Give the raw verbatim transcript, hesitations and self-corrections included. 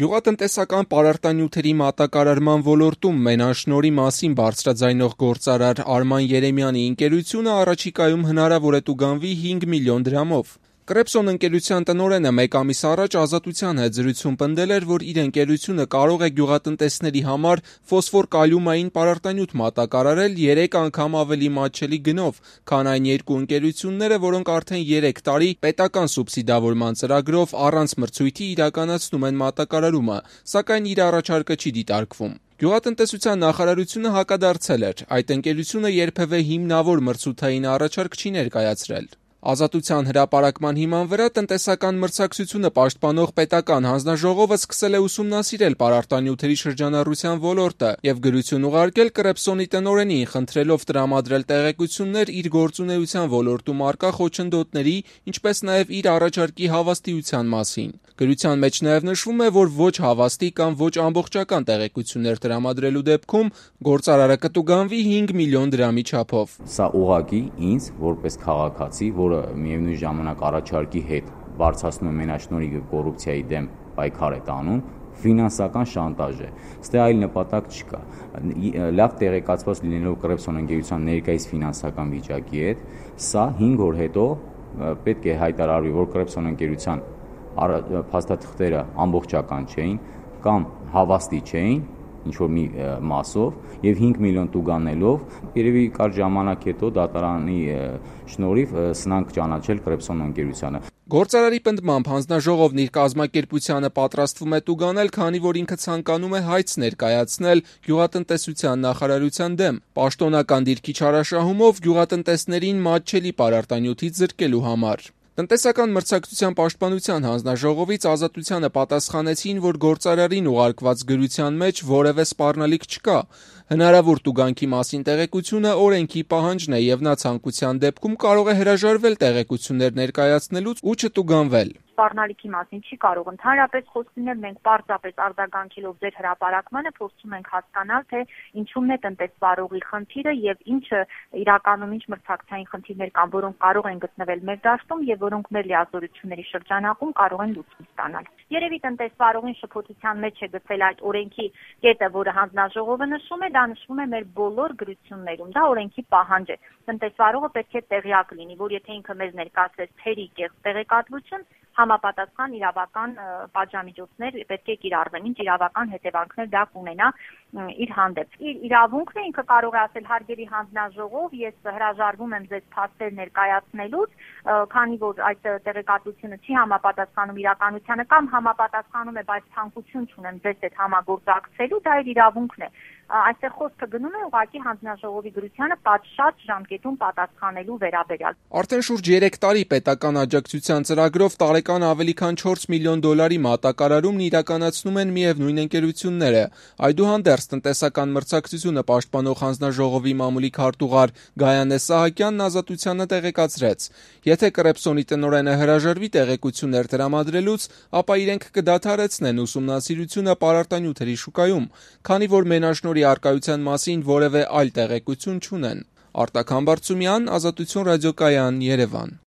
Գյուղատնտեսական պարարտանյութերի մատակարարման ոլորտում մենաշնորհի մասին բարձրաձայնող գործարար Արման Երեմյանի ընկերությունը առաջիկայում հնարավոր է տուգանվի հինգ միլիոն դրամով։ Կրեպսոն ընկերության տնօրենը մեկ ամիս առաջ Ազատության հետ զրույցում պնդել էր, որ իր ընկերությունը կարող է գյուղատնտեսների համար ֆոսֆոր-կալիումային պարարտանյութ մատակարարել երեք անգամ ավելի մատչելի գնով, քան այն երկու ընկերությունները, որոնք արդեն երեք տարի պետական սուբսիդավորման ծրագրով առանց մրցույթի իրականացնում են մատակարարումը, սակայն իր առաջարկը չի դիտարկվում։ Գյուղատնտեսության նախարարությունը հակադարձել էր, այդ ընկերությունը երբևէ հիմնավոր մրցութային առաջարկ չի ներկայացրել։ Ազատության հրապարակման հիման վրա տնտեսական մրցակցությունը պաշտպանող պետական հանձնաժողովը սկսել է ուսումնասիրել պարարտանյութերի շրջանառության ոլորտը և գրություն ուղարկել Կրեպսոնի տնօրենին, խնդրելով տրամադրել տեղեկություններ իր գործունեության ոլորտում առկա խոչընդոտների, ինչպես նաև իր առաջարկի հավաստիության մասին։ Գրության մեջ նաև նշվում է, որ ոչ հավաստի կամ ոչ ամբողջական տեղեկություններ տրամադրելու դեպքում գործարարը կտուգանվի հինգ միլիոն դրամի չափով։ Սա ուղղակի ինձ, որպես քաղաքացի, որը միևնույն ժամանակ առաջարկի հետ բարձրացնում է մենաշնորհի կոռուպցիայի դեմ պայքար է տանում, ֆինանսական շանտաժ է։ Ստե այլ նպատակ չկա։ Լավ տեղեկացված լինելով Կրեպսոն ընկերության ներկայիս ֆինանսական վիճակի հետ, սա հինգ օր հետո պետք է հայտարարվի, որ Կրեպսոն ընկերության փաստաթղթերը ամբողջական չէին կամ հավաստի չէին ինչ-որ մի մասով և հինգ միլիոն տուգանելով երևի կարճ ժամանակ հետո դատարանի շնորհիվ սնանք ճանաչել Կրեպսոն ընկերությանը։ Գործարարի պնդմամբ հանձնաժողովն իր կազմակերպությանը պատրաստվում է տուգանել, քանի որ ինքը ցանկանում է հայց ներկայացնել գյուղատնտեսության նախարարության դեմ՝ պաշտոնական դիրքի չարաշահումով գյուղատնտեսներին մատչելի պարարտանյութից զրկելու համար։ Տնտեսական մրցակցության պաշտպանության հանձնաժողովից Ազատությանը պատասխանեցին, որ գործարարին ուղարկված գրության մեջ որևէ սպառնալիք չկա։ Հնարավոր տուգանքի մասին տեղեկությունը օրենքի պահանջն է և նա ցանկության դեպքում կարող է հրաժարվել տեղեկություններ ներկայացնելուց ու չտուգանվել։ Սպառնալիքի մասին չի կարող ընդհանրապես խոսք լինել, մենք պարզապես արձագանքելով ձեր հրապարակմանը փորձում ենք հասկանալ, թե ինչումն է տնտեսվարողի խնդիրը և ինչը իրականում ինչ մրցակցային խնդիրներ կան, որոնք կարող են գտնվել մեր դաշտում և որոնք մեր լիազորությունների շրջանակում կարող են լուծում ստանալ։ Երևի տնտեսվարողին շփոթության մեջ է գցել այդ օրենքի կետը, որը հանձնաժողովը նշում է, դա նշվում է մեր բոլոր գրություններում, դա օրենքի պահանջ է։ Տնտեսվարողը պետք է տեղյակ լինի, որ եթե ինքը մեզ ներկայացրեց թերի կեղծ տեղեկատվություն, համապատասխան իրավական պատժամիջոցներ պետք է կիրառվեն, ինչ իրավական հետևանքներ դա կունենա իր հանդեպ։ Իր իրավունքն է, ինքը կարող է ասել հարգելի հանձնաժողով, ես հրաժարվում եմ ձեզ փաստեր ներկայացնելուց, քանի որ այդ տեղեկատվությունը չի համապատասխանում իրականությանը կամ համապատասխանում է, բայց ցանկություն չունեմ ձեզ հետ համագործակցելու, դա իր իրավունքն է։ Այստեղ խոսքը գնում է ուղղակի հանձնաժողովի գրությանը պատշաճ ժամկետում պատասխանելու վերաբերյալ։ Արդեն շուրջ երեք տարի պետական աջակցության ծրագրով տարեկան ավելի քան չորս միլիոն դոլարի մատակարարումն իրականացնում են միևնույն ընկերությունները։ Այդուհանդերձ տնտեսական մրցակցությունը պաշտպանող հանձնաժողովի մամուլի քարտուղար Գայանե Սահակյանն Ազատությանը տեղեկացրեց. Եթե Կրեպսոնի տնօրենը հրաժարվի տեղեկություններ տրամադրելուց, ապա իրենք կդադարեցնեն ուսումնասիրությունը պարարտանյութերի շուկայում, քանի որ մենաշնորհի առկայության մասին որևէ այլ տեղեկություն չունեն։ Արտակ Համբարձումյան, Ազատություն ռադիոկայան, Երևան։